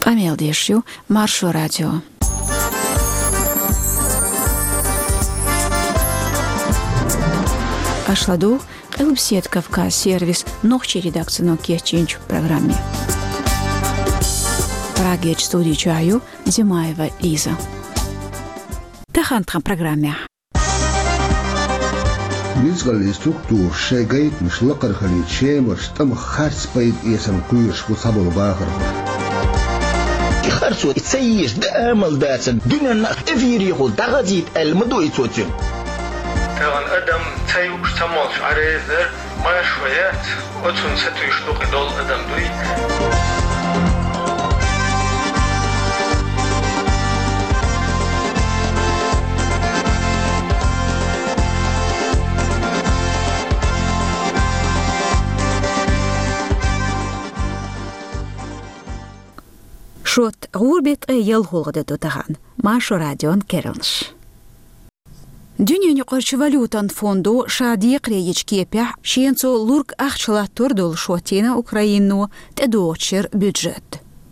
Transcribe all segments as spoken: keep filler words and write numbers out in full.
Къамел деш ю Маршо радио. Аша ладугӀу Къилбаседа Кавказ сервисан нохчийн редакцино кечйинчу программе. Прагерчу студи чохь ю Димаева Лиза. Тахана тхан программехь. Ницкъаллин структураш шайн гайтамаш лакхара хилийта Шемарчу тӀамах харц пайда эцарна кхоьруш бу цхьаболу бахархой. И харцо и ца езаш дан амал дацарна дуьненна а тӀевирехула дӀахазийта аьлла ма ду и цо цуьнан. Тахана адам ца юуш, ца молуш Ӏан реза дара, маршо яц, оцунна сатуьйсуш дукха долу адам дуй. Шот гӀуран беттан ялхолгӀа де ду тахана. Маршо радион керланаш. Дуьненан юкъарчу валютан фондо ша декхаре йичу кепехь шена цо лург ахча латтор долу шот йина Украино тӀедогӀучу шеран бюджет.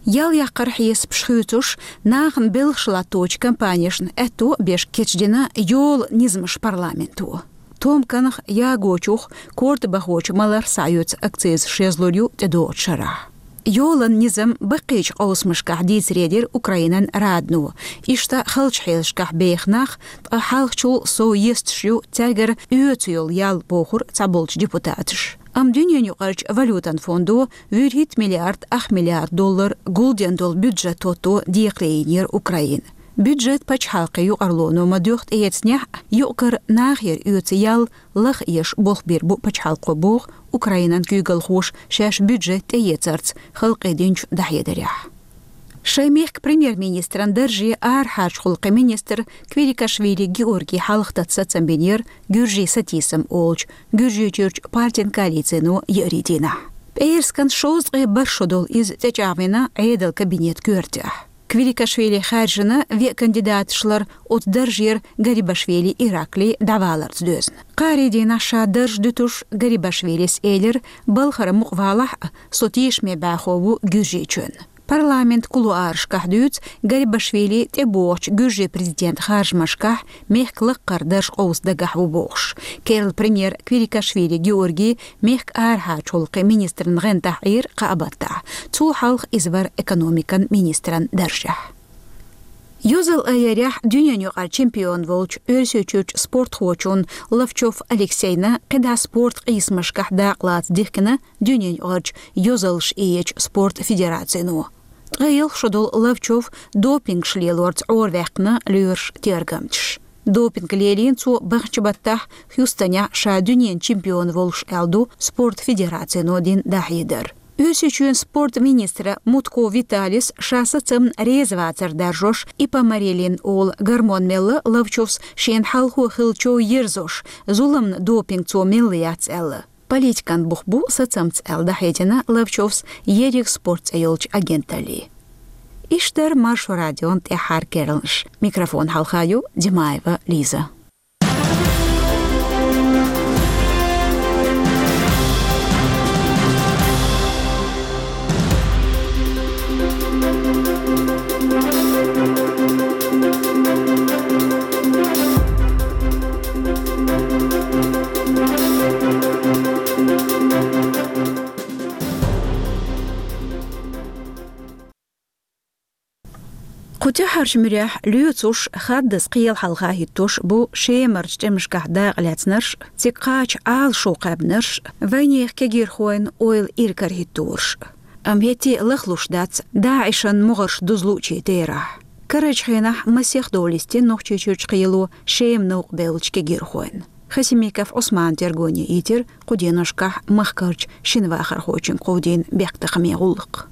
Ял яккхаран хьесапаш хуьйцуш, нахана белхаш латточу компанешна аьтто а беш кечдина йолан низамаш парламенто. Томканах, ягочух, корта бахочу маларх схьаоьцу акциз шезлур ю тӀедогӀучу шарахь. Йолан низам баккхийчу къовсамашкахь дийцаре дира Украинан Радно. Иштта халчу хьелашкахь беха нах, ткъа хьалхачул сов есташ ю цаьргара оьцу йолу ял, бохура цхьаболчу депутаташа. Амма дуьненан юкъарчу валютан фондо вуьрхӀитта миллиард ах миллиард доллар гулден долу бюджет хӀотто декхаре йинера Украина. Бюджет пачхьалкхан юкъарлоно ма-дуьйхху тӀеэцнехь а, юкъ-кара нахера оьцу ял лаха еш болх бийр бу пачхьалкхо, боху Украинан куьйгалхоша шаьш бюджет тӀеэцарца халкъе динчу дӀахьедарехь. Шайн мехкан премьер-министран дарже арахьарчу гӀуллакхийн министр Квирикашвили Георгий хьалха тата сацам бинера Гуьржийн сатийсам олучу Гуьржийчуьрчу партин коалицино еарин дийнахь. ПӀераскан шовзткъе бархӀ шо долу иза тӀечӀагӀвина Ӏедалан кабинетан коьртехь. Квирикашвили хаьржина веа кандидаташ лар оцу даржера Гарибашвили Ираклий дӀаваларца доьзна. Кхаарин дийнахь ша дарж дуьтуш Гарибашвилис элира: «Балхара мукъа валахь а, со тешаме бӀаьхо ву Гуьржийчоьнан». Парламентан кулуарашкахь дуьйцу Гарибашвили тӀебогӀучу Гуьржийн президентан харжамашкахь мехкан лаккхара дарж къовса дагахь ву бохуш. Керла премьер Квирикашвили Георгий мехкан арахьарчу гӀуллакхийн министран гӀантахь Ӏийра кхаа баттахь. Цул хьалха иза вара экономикан министран даржехь. Йозалла айъярехь дуьненан юкъара чемпион волчу Оьрсийчуьрчу спортхочунна Ловчов Алексейна кхидӀа спорт къийсамашкахь дакъалаца дихкина дуьненан юкъарчу йозаллаш иэчу спорт федерацино. Ткъе ялх шо долу Ловчов допингаш лелорца Ӏораваьккхина лоьраша тергамчаш. Допинг лелийна цо баханчу баттахь Хьюстонехь ша дуьненан чемпион волуш аьлла ду спорт федерацино дина дӀахьедар. Оьрсийчоьнан спорт министра Мутко Виталис ша сацамна реза вацар даржош ипамарилин олу гормон мелла Ловчовс шена хьалхо хиллачо ерзош, зуламна допинг цо мелла яц аьлла. Политикан бух бу сацамца аьлла дӀахьедина Ловчовс ерриг спорт цӀе йолчу агенталле. Иштта дара Маршо радион тӀаьххьара керланаш. Микрофон хьалха ю Димаева Лиза. Кху тӀаьххьарчу муьрехь лоьцуш, хаддаза кхел хьалха хӀиттош бу Шемарчу тӀемашкахь дакъа лаьцнарш, цига кхача Ӏалашо кхаьбнарш, вайнехан кегийрхойн ойла иракарахӀиттарш. Амма хӀетте а лахлуш дац ДАИШан могӀарш дузлучийн терахь. Карарчу хенахь масех дола йистина Нохчийчуьрчу кхело Шема новкъа бевллачу кегийрхойн. Хасимиков Ӏусмана тергоне йитира кху деношкахь махкарчу шина вахархочуьнга кховдийна бехктакхаман гӀуллакх.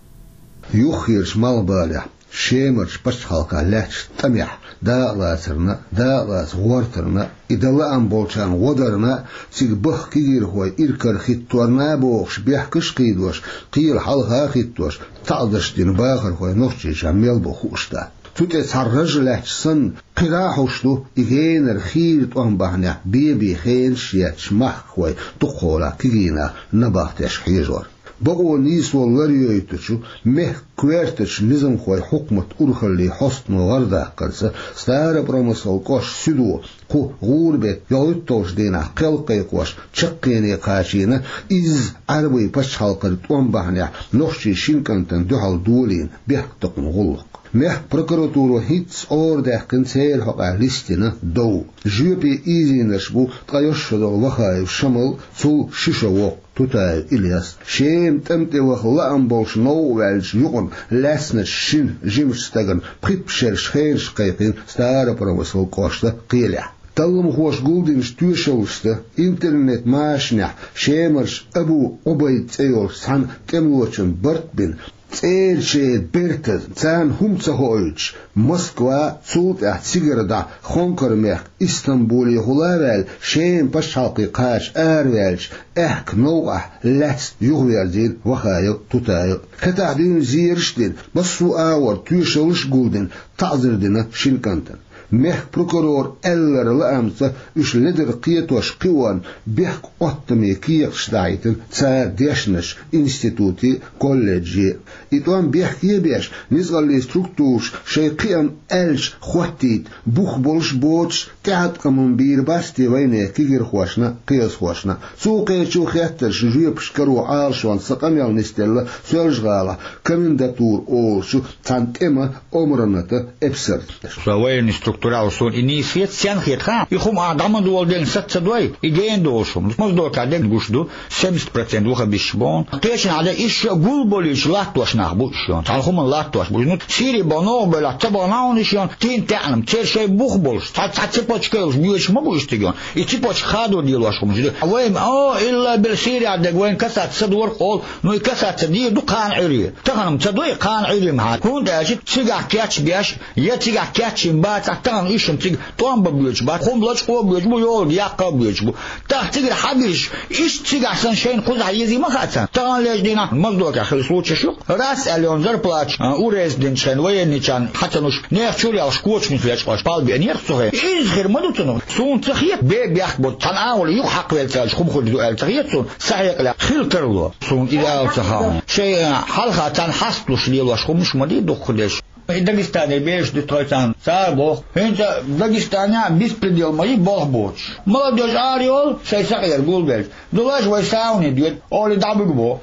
Юххерчу малхбалехь, Шемарчу пачхьалкхехь лаьттачу тӀамехь дакъалацарна, дакъалаца гӀортарна, и дан лаам болчарна гӀо дарна, цига бахка кегийрхой иракарахӀиттор а бохуш, бехкаш а кхийдош, кхел хьалха а хӀиттош, таӀзарш дина бахархой Нохчийчохь мел бу хууш дац. Цу тӀе цхьа раж лаьтташ санна, кхидӀа а хьош ду и генара хийра тӀом бахьанехь бен-бен хенаш етташ махкахой дукхахьолахь кегийнах набахтеш хьежор. Бакъо нийсо ларйойтучу мехкан коьртачу низамхойн хьукматан урхаллин хьостано гӀарадаккхарца, Старопромыслан кӀоштан суьдо кху гӀуран беттан ялхитталгӀачу дийнахь кхел кхайкхош чаккхене кхачийна изза Ӏаьрбийн пачхьалкхера тӀом бахьанехь нохчийн шин кӀантана дуьхьал долийна бехктакхаман гӀуллакх. Мехкан прокуратуро хӀинцца арадаьккхина церан хьокъехь листина дов. Жоьпе ийзийнарш бу ткъе йоьшшагӀа долу Вахаев Шамал, цул ши шо воккха Тутаев Ильяс. Шеман тӀам тӀе ваха лаам болуш новкъа ваьллачу юкъана лаьцначу шина жимачу стагана пхийтта шераш хенаш кхайкхийна Старопромыслан кӀоштан кхелехь. Талламхоша гулдинчу тоьшаллашца, интернет-машанехь Шемарчу Абу Ӏубайд цӀе йолчу цхьана тӀемалочунна барт а бина, цӀерачеран бертан царна хӀума ца хоуьйтуш, Москва, цул тӀаьхьа цигара дӀа Хонкар-мехкан Истамбулехула а ваьлла, Шеман пачхьалкхе кхача араваьллачу аьхка новкъахь лаьцна юхаверзийна Вахаев Тутаев. ХӀетахь дуьйна зераш а дина, массо а агӀор тоьшаллаш а гулдина, таӀзар дина шин кӀантана. Мехкан прокуроран аьлларан лаамца, уьш ледара кхетош кхиорна бехк-Ӏоттаме кехаташ дахьийтина цара дешначу институте а, колледже а. И тӀом бехке а беш, ницкъаллин структураша шайн кхиам аьлча хӀоттийта бух болуш а, боцуш а тӀеӀаткъам бийр бац те вайнехан кегирхошна а, кхиазхошна а? Цу кхечу хеттарш жоьпаш каро Ӏалашонца сан къамел нисделла Соьлжа-ГӀалахь комендатура олучу цхьана тӀеман омранатан эпсарца. Со военный структурал суна и нийса хета, стенна хета хаьа. И хӀума а дӀа ма доладелла саца ца дой, и гена долуш хӀума. Моздокехь дерг гуш ду, семьдесят процент вахабисташ боху. Кхечанхьа дерг иштта гулболуьйтуш латтош нах бу уьш йон. Цхьана хӀуманна латтош бу. Ну, Сири боху новкъа бевллехь, ца боху нах хьуна уьш йон, тин таьӀнам, церан шайн бух болуш, цхьа, цхьа цепочка йолуш боьдуш ма бу иштта йон. И цепочка хадор лелош хӀумаш ду. Вайн, о, илла бил Сирия дерг вайн касаться ца дора олу, ну и касаться дийр ду кхана Ӏуьйре. Тахана-м ца дой кхана Ӏуьйре-м хьан. ХӀунда аьлча цигахь кечбеш, я цигахь кечйина бацахь, тахана уьш-м цига тӀом бан боьдуш бац, хӀума лачкъо а боьдуш бу, йолу яккха а боьдуш бу. ТӀаккха цигара хьан бирш, иштта цигахь санна шайна кхузахь езий ма хаьа царна. Таханлерчу дийнахь Моздокехь хилла случайш ю. Раз аьлла йолу зарплаташ, а, урезать динчу хенахь военныйчарна хьан ца луш, нехан чуьра ялхаш кочамца лечкъош пал беанера цу хенахь. Иза хир ма ду цунах. Суна ца хета, бе бехк бу, цхьана агӀор юкъа хьакхавелла ца аьлча хӀума хуьлуш ду аьлла ца хета суна. Сан хьекъалехь хила тарло. Суна иза ала ца хаьа. Шайн, а, хьалха царна хьасталуш лелош хӀуманаш ма дий дукхахдерш. И Дагестане бераш ду тхойцарна, цара боху. ХӀинца Дагестанехь беспредел ма ю болх боцуш. Молодёжь ара йолу, шайн сакъера гулбелча. Дулаш вай сауне доьду, олий дӀабуьгу боху.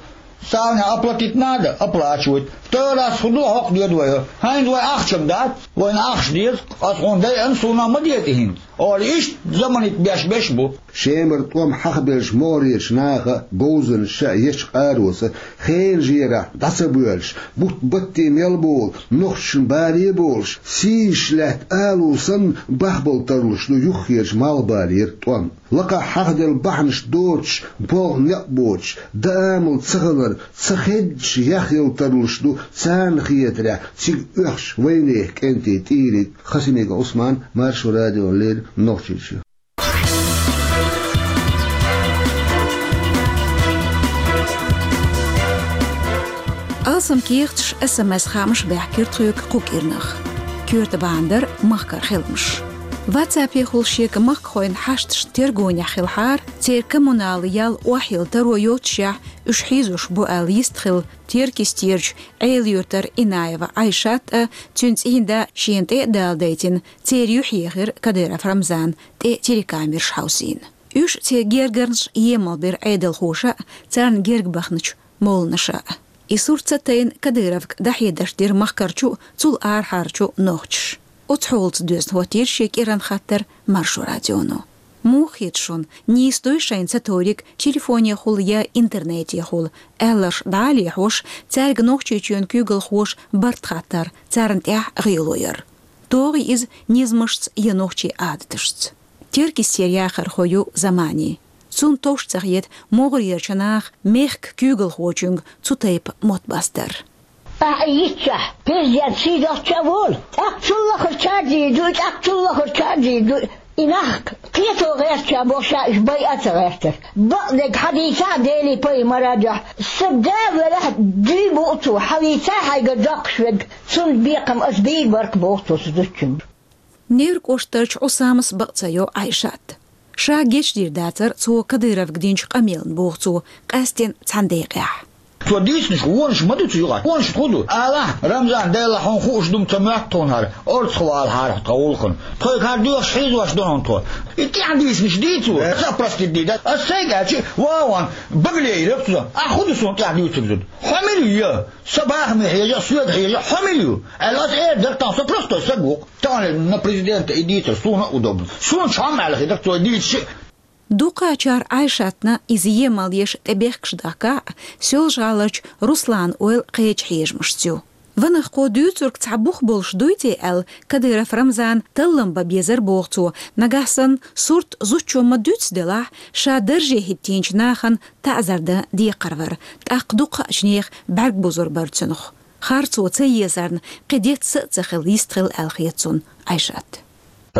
Сауне оплатить надо, оплачивают. Второй раз хӀун ду, хӀокху доьду вай. ХӀинца вай ахча-м дац, вайна ахча деза, аса хьуна дайъана, суна ма деза и хӀинца. Олий иштта заманит беш-беш бу. Шемара тӀом хьахабеллачу могӀарерчу наха а, говзанчаша а ечу къароца хенан жерахь дӀа ца боьллуш, бутт-батте мел болу, нохчашна бале а болуш, сийсаш лаьтта алу санна, бахбала тарлуш ду юххерчу малхбалера тӀом. Лакхахь хьахаделла бахьанаш доцуш, болх некъ боцуш, дан амал ца хилар, ца хеддаш яхъяла тарлуш ду царна хетарехь цига оьхучу вайнехан кӀентийн тӀийриг. Хасимиков Ӏусман, Маршо радиона леррина, Нохчийчоь. Алсам кехаташ, СМС-хаамаш баьхкира тхоьга кху кӀирнах. Коьрта бахьана дара махкара хиламаш. WhatsApp-ехула шега махкахойн хьашташна тергонехь хилахьара, церан коммуналан ял охьайилла таро йоццушехь, уьш хьийзош бу аьлла йистхилла Теркйистерчу Ӏела-Юьртара Инаева Ӏайшат а, цуьнан цӀийнда шена тӀе а даладайтина, церан юьхь ехира Кадыров Рамзан, тӀе телекамераш хьовсийна. Уьш, церан гергарнаш емал бира Ӏедалхоша а, царна герга баханчу молланаша а. И сурт ца тайна Кадыровга дӀахьедарш дира махкарчу а, цул арахьарчу а нохчаша. Оцу хьолаца доьзна хӀоттийра шен кӀиранан хаттар Маршо радионо. Муха хета шуна, нийса дуй шайна ца товриг телефонехула я интернетехула, аьлларш дӀа а лехьош, цаьрга Нохчийчоьнан куьйгалхоша барт хаттар, царна тӀехь гӀело яр? ТогӀий иза низамашца я нохчийн Ӏадаташца? Теркйистера яхархо ю Замани. Цунна товш ца хета могӀарерчу наха мехкан куьйгалхочуьнга цу тайпа мотт бастар. Ахьа йитчахь, президент сийдолчча а волу, тӀаккха цул лахара чаржийр ду, тӀаккха цул лахара чаржийр ду. И нах кхето гӀертача боху ша уьш байа а ца гӀертара. Бакъдерг хьан дийца а Делий пайхамар а дуьхьа. Сан да велахь, дуй бу цо, хьан вийца а хьайгара доккхуш верг, цунна бекхам аса бийр бара-кх боху цо сан зудчуьнга. Невран кӀоштарчу Ӏусамас бакъ ца йо Ӏайшат. Ша гечдийр дацара цо Кадыровга динчу къамелна, боху цо, къаьсттина цхьана декъехь. Цо дийцинчу вонаш ма ду цу юкъахь. Вонаш хӀун ду? Алахь, Рамзан, Дела хьуна хууш ду-м ца моьтту тхуна хӀара. Орцахвалахьара тхо гӀуллакхана. Тхоьга хӀара доьхуш хьийзош ду хьуна тхо. И тӀаьхьа дийцинчу дийцо. Аса а простить дийца. Ас сайга аьлча, вон, багале йира цо. Ахь хӀун ду суна тӀаьхьа дуьйцург зуда? Хьо мила ю? Сан бахаме хьежа, соьга хьежа, хьо мила ю? Аьлла, ас эр дара, тахана со простой саг ву-кх. Тахана на президента и дийцар, суна а удобно. Суна чхьамма аьлла хир дара цо дийцича. Дукхачара Ӏайшатна иза емал еш тӀебехкаш дахка а, Соьлжа-ГӀаларчу Руслана ойла кхечу хьежамашца ю. Ванах, кхо дуьйцург цхьа бух болуш дуй те аьлла, Кадыров Рамзана таллам бан безар боху цо, нагахь санна сурт зудчо ма-дуьццу делахь, ша дарже хӀиттийначу нахана таӀзар дан декхар вара, тӀаккха дукхачу нехан бӀаьрг бузур бара цунах. Харцо ца езарна, кхин детташ а ца хилла йист хилла аьлла хета цунна Ӏайшат.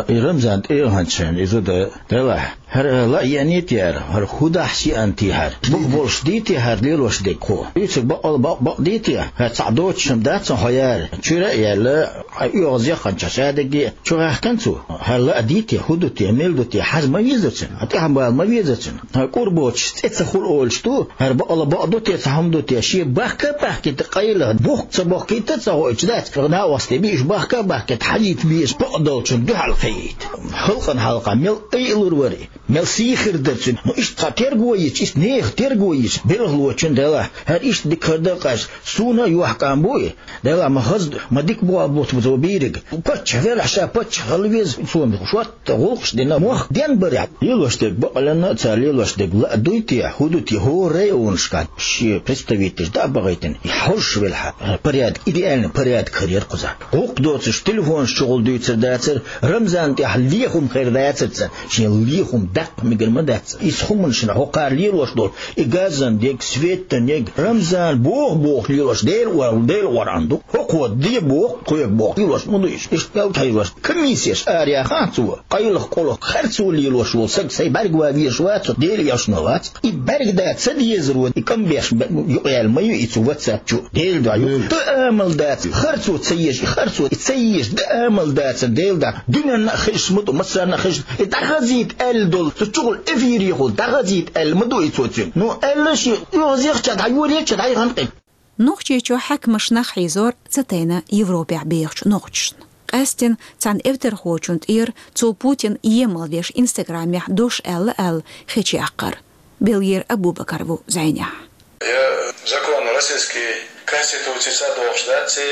И Рамзан тӀе а хӀанчхьана, и зуда делахь, хӀара ла а еаний те хӀара, хӀара хӀун дахьаш еана те хӀара? Бух болуш дий те хӀара лелош дерг хӀо? Дуьйцург бакъ-, бакъ-, бакъдий те? ХӀара цхьаъ доцуш-м дац хьо яра? Чуьра а яьлла, хьайн оьгӀаз яхханчохь шадерриге а чу гӀаьхкина цо. ХӀара ла а дий те, хӀун ду те, мила ду те, хьажа ма веза цуьнан, хьан тӀаьхьа бала ма веза цуьнан. ХӀара кӀур боцуш цӀе ца хуьлу олуш ду, хӀара бакъала бакъ ду те, цхьа хӀума ду те, шен бахка а бахкийта, къайлаха бухк ца бохкийта а ца хоуьйтуш дац, накъостий бийш бахка а бахкийта, хьажийта безаш бакъдолчун дуьхьал кхиийта. Халкъана хьалха мел айалур вара и, мел сий хир дара цуьнан. Ну, иштта тхо терго йича, иштта нехан терго йича, белхалочун делахь, хӀара иштта дика хир дара-кх аьлча, суна а йохкам бу и. Делахь ма хаза, ма дика боху бутт бу цо бийриг. Паччахь велахь, ша паччахь хила веза, цо шот гӀуллакхаш дина, мох ден барехь. Лелош дерг бакъаланна а цара лелош дерг ла а дуй те, хӀун ду те, хӀора районашкахь шен представитель дӀа а бахийтина, и хьожуш велахь, порядок, идеальный порядок хир яра кхузахь. ГӀуллакх доцуш телефонаш чухула дуьйцур дацара, Рамзан тӀехь лехам хир дацара царна, шен лехам даккха мегар ма дац. Иза хӀуманашна хӀокхара лелош долу, и газан дерг, светан дерг, Рамзан боху-боху лелош, Дела ор-, Дела оран ду. ХӀокхо де боху, кхоьга боху, лелош ма ду иза. Иштта мел тхьаьжош, комиссеш араяхахь цо, къайлаха-къулаха харцо лелош волу саг сайн бӀаьрга ван везаш вац, Дела эшна вац. И бӀаьрга дан ца дезаро, и кам беш б-, юкъаяьлла ма ю и цу WhatsApp чу. Дела дуьхьа ю. Дан амал дац, харцо ца езаш, и харцо и ца езаш дан амал дацара, Дела дуьхьа. Дуьненна а хезаш ма ду, массарна а хезаш, и дӀахазийта аьлла долу, цу чухула эфирехула дӀахазийта аьлла ма ду и цо цуьнга. Ну, аьлла шен, оьгӀаз яхча дӀайоьрча дӀайханкъи. Нохчийчохь хьаькамаш нах хьийзор ца тайна Европехь бехачу нохчашна. Къаьстина цхьана эвтархочун тӀера цо Путин емал веш Инстаграмехь дош аьлла аьлла хечъяккхар. Белгера Абубакар ву зӀенехь. Я закон российский конституцица дохуш дац, и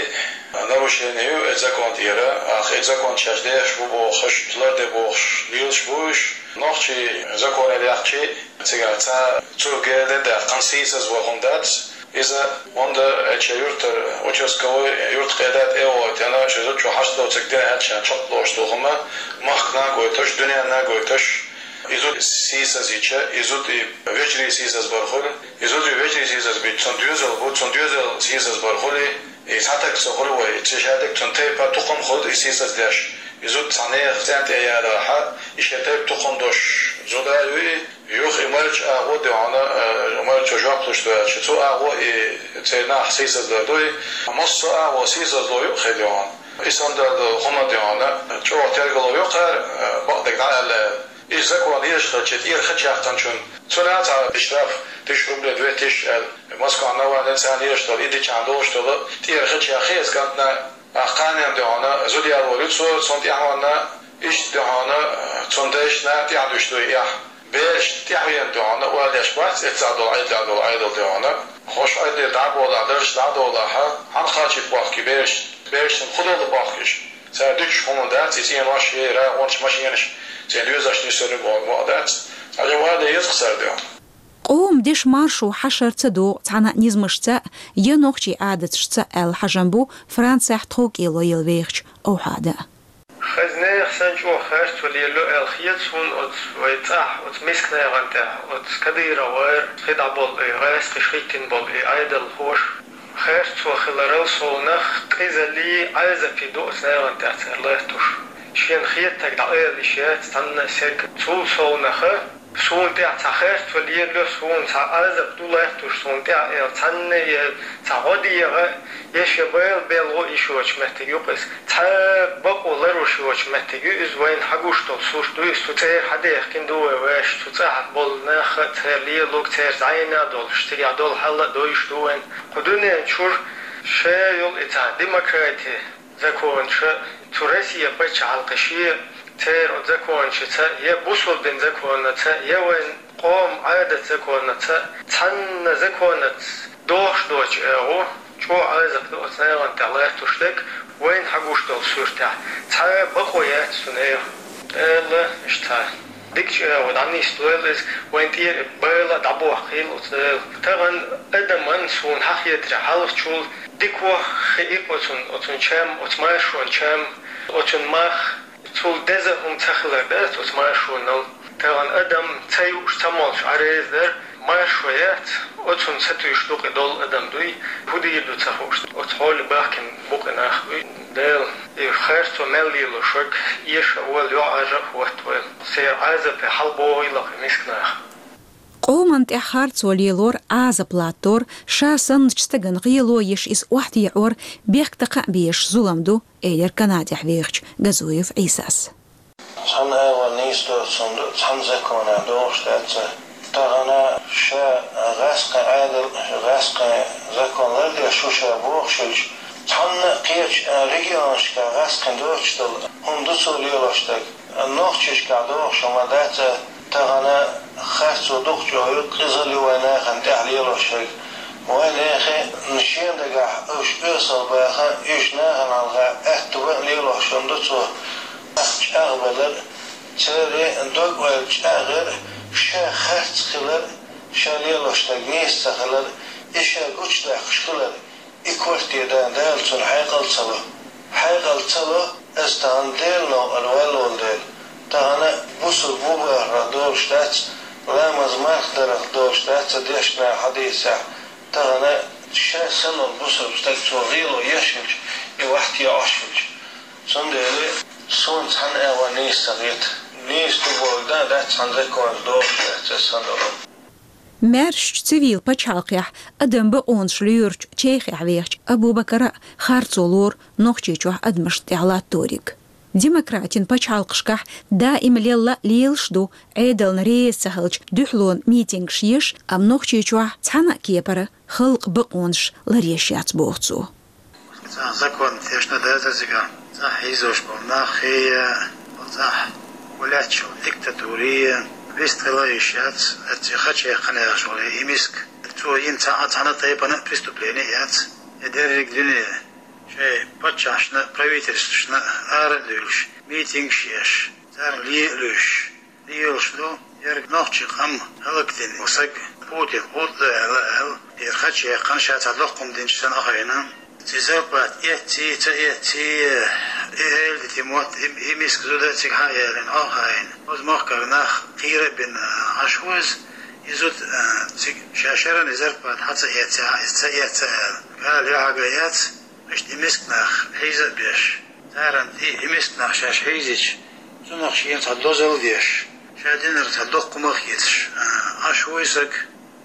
нарушение ю и закон тӀера, ах, и закон шаьш дехаш бу бохуш, ларде бохуш, лелаш бу уьш. Нохчий закон яхчи, цигара ца цу герде даьккхина сийсаз вахун дац. Иза онда эча юртар участковый юрт къеда тӀе а войтина, ши зудчо хьашт доцург дина аьлча чекх лош ду хӀума, махкана а гойтуш, дуьненна а гойтуш, и зуда сийсаз йича, и зуда и вежарий сийсаз бар хуьлу, и зуда и вежарий сийсаз бича, цунна доьзал бу, цунна доьзал сийсаз бар хуьлу, и цхьа таг ца хуьлу вай, и ца шадерг цунна тайпа тукхам хуьлу и сийсаз деш, и зуда цхьа нехан цӀен тӀе ярахьа, и шен тайпа тукхам дош зуда а юй, Юха и мальчу агӀо де хьуна, э, мальчо жоп луш ду аьлча, цу агӀо и церан нах сийсазлар дуй, массо а агӀо сийсазло юкъахь де хьуна. И санна долу хӀума де хьуна, чӀогӀа тергало ю кхара, э, бакъдерг дӀа аьлла. И закон еш хилча, тӀера хача яьккхинчун, цунна цхьа штраф, тысяча рублей, две тысячи аьлла. Москва Навальный царна еш долу, и дичахь долуш долу, тӀера хача яьккхи иза кӀантана, Ахь кханенна де хьуна, зуда ял волу цо, цунна тӀаьхьенна, иштта де хьуна, цунна дайшна тӀаьхьа дуьш дуй эхь. Бераш тӀаьхьенна де хьуна, ойла еш бац, эццахь долу, Ӏедалехь долу, Ӏедал де хьуна. Хьуш Ӏедале дӀа а болахь, даржаш дӀа а долахь, хьан кхачийта бохкий бераш, берашна худалла бохкийш. Цара дуьтуш хӀума дац, и цӀенош, и рагӀонаш, машенаш, церан доьзалш нисур бу боху дац. Цхьа жа вада еза-кх цара де хьуна. Къоман дешан маршо хьашар ца догӀу цхьана а низамашца а, я нохчийн Ӏадаташца а аьлла хьажам бу Францехь тховкӀело яла вехачу Овхьада. Хаза нехан санна чӀогӀа харцо лелайо аьлла хета суна оцу вай цӀахь, оцу миска нехан тӀехь, оцу Кадыровгара хи дӀаболу и, гӀаскхиш хӀиттина болу и Ӏедалхоша. Харцо хиларал совнах, къизаллий, Ӏазапий ду оцу нехан тӀехь цара латтош. Шена хетаг дӀаала йиш яц цхьанна а стеган. Цул совнаха, Суна тӀехь цхьа харцо лелайо, суна цхьа Ӏазап ду латтош суна тӀехь, аьлла, цхьанна я цхьа гӀо дегӀа, я шен байла белгало йиш йоцу меттиг ю-кх иза. Цхьа бакъо ларъеш йоцу меттиг ю иза, вайна хьагуш долу сурт ду иза, цу цӀера хьадаьхкина ду вай вешан, цу цӀахь болу нах а, церан лелориг, церан зӀенах долуш, цигахь долу хьал а довзуш ду вайна. Кху дуьнен чуьра ша йолу и цхьа демократи, законаш, цу Россин пачхьалкхаша церан оцу законашца, я бусалба дин законаца, я вайн къоман Ӏадат законаца, цхьанна законаца дохуш доцу агӀо, чӀогӀа Ӏазап ду оцу нахана тӀехь латтош дерг, вайна хьагуш долу суртехь. Цхьа бакъо яц цу нехан. Дала иштта дикачу агӀор дӀанисдойла иза, вайн тӀера и байла дӀабохкийла оцу Дала. Тахана адаман суна хьахетарехь хьалхачул дика ваха хиира оцун, оцун чам, оцу маршонан чам, оцун мах, цул деза хӀума ца хилар дац оцу маршонал. Тахана адам ца юуш, ца молуш Ӏа реза дара, маршо яц, оцунна сатуьйсуш ду-кх и долу адам дуй, хӀун дийр ду ца хууш, оцу хьоле бахкина бу-кх и нах дуй. Дала и харцо мел лелош верг эша а волла, йоӀарра а хӀоттавойла. Церан Ӏазапе хьалабохийла-кх и миска нах. Къоман тӀехь харцо лелор, Ӏазап латтор, ша санначу стагана гӀело еш иза охьатаӀор бехктакха а безаш зулам ду, элира Канадехь вехачу Газуев Ӏийсас. Цхьана агӀор нийса доцу хӀума ду, цхьана законехь дохуш дац. Тахана ша гӀаскхи Ӏедал, гӀаскхи закон лардеш ву ша бохуш хилча, цхьанна а кхечу регионашкахь гӀаскхина доцуш долу хӀума ду цо лелош дерг. Нохчашкахь дохуш хӀума дац, тахана харцо дукха чӀогӀа ю, къизалла ю вайн нахана тӀехь лелош верг. Вайн нехан шен дагахь уьш оьсал баха, уьш нахана хьалха аьтту бан лелош хӀума ду цо. Ах чӀагӀбалар, церан дог-ойла чӀагӀъяр, ша харц хилар, ша лелош дерг нийса ца хилар, и ша гучудаккхаш хилар. И корта дан Дала цунна хьекъал ца ло. Хьекъал ца ло, аса тахана Делан новкъара ваьлла волу дела. Тахана бусалба ву бахарх долуш дац, ламаз марха дарах долуш дац цу дешнехь, хьадисехь. Тахана ша санна волу бусалба стаг цо гӀело еш хилча, и вахьте Ӏаш хилча. Цундела суна цхьана агӀор нийса ца хета. Нийса ду бохург дан дац цхьана законца дохуш дац аса санна долу. Маьршачу цивил пачхьалкхехь адам бакъонаш лоьручу Чехехь вехачу Абу-Бакара харцо лору Нохчийчохь адамашна тӀехь латториг. Демократийн пачхьалкхашкахь даима лелла лелаш ду, Ӏедална реза ца хилча дуьхьалонан митингаш еш, амма Нохчийчохь цхьана а кепара халкъан бакъонаш ларъеш яц, боху цо. Цхьа закон тешна дацара цигахь, цхьа хьийзош болу нах хи я, цхьа гулаьтташ йолу диктатури я, вистхила йиш яц, эцци хаче кханаьржоле и миска. Цо йина цхьа а цхьана тайпана преступление яц. И дерриг дуьне шайн паччахьашна, правительствашна ара а дуьйлуш, митингаш еш, царна ле а луьйш. Лелаш ду, ерг нохчийн къам хӀаллакдина саг Путин хӀутту аьлла, аьлла, яра хача яьккхина ша цхьа доккхум динчу санна а хайна. Ци зарплата эцций, ца эцций, и эладитий мотт, и, и миска зуда цига хьа а ялийна, хьо а хайна. Оцу махкара нах кхера а бина, Ӏаш ву иза, и зуда, а, цига ша шеран и зарплата хьа ца эцций, хьа иза ца эцций аьлла. Гала юьхьа ган яц, иштта и миска нах хьийза а беш. Царна и, и миска нах шаьш хьийзича, цунах шена цхьа дозалла деш, ша динарг цхьа доккхумах а хеташ, а, Ӏаш ву и саг,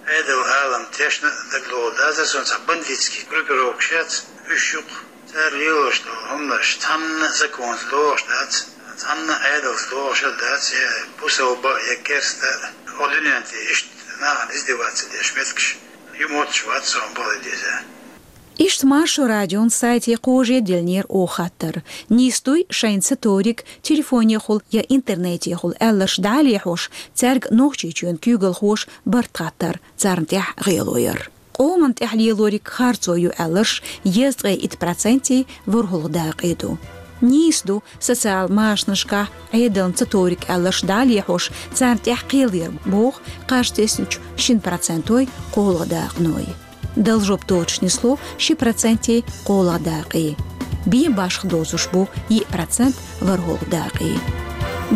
Ӏедал алам тешна а дагалоха дацара цунна цхьа бандитский группировкаш яц, уьш ю-кх, цара лелош долу хӀуманаш цхьанна а законца догӀуш дац, цхьанна а Ӏедалца догӀуш а дац, я бусалба, я керста, оха дуьнен тӀе иштта нахана издеваться деш меттигаш ю мотташ вац сан бала деза. Иштта Маршо радион сайте кхожа диллинера оха хаттар. Нийса дуй шайна ца ториг телефонехула я интернетехула аьлларш дӀа а лехьош, цаьрга Нохчийчоьнан куьйгалхоша барт хаттар, царна тӀехь гӀело яр. Къоман тӀехь лелориг харцо ю аьлларш езткъе итт процентий ворхӀалгӀа дакъе ду. Нийса ду социал машанашкахь Ӏедална ца ториг аьлларш дӀа а лехьош, царна тӀехь кхел яр, боху кхаж тесначу шина процентой кхоалгӀа дакъаной. Дала жоп доцуш нисло ши процентий кхоалгӀа дакъий. Бен башха доцуш бу йиъ процент ворхӀалгӀа дакъий.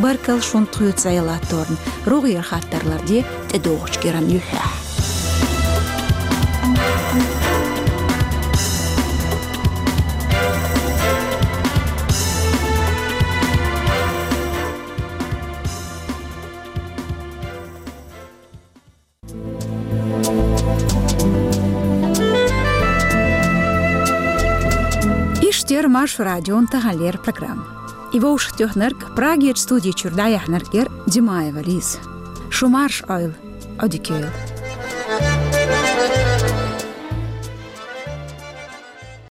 Баркалла шуна тхоьца зӀе латторна, рогӀера хаттар ларде тӀедогӀучу кӀиран юьххьехь. Эфирт я Маршо радион тахан леррина программа. И вовшахтоьхнарг, Прагерчу студи чуьра дӀаяьхьнарг яра Димаева Лиза. Шу марша Ӏойла, Ӏодика йойла.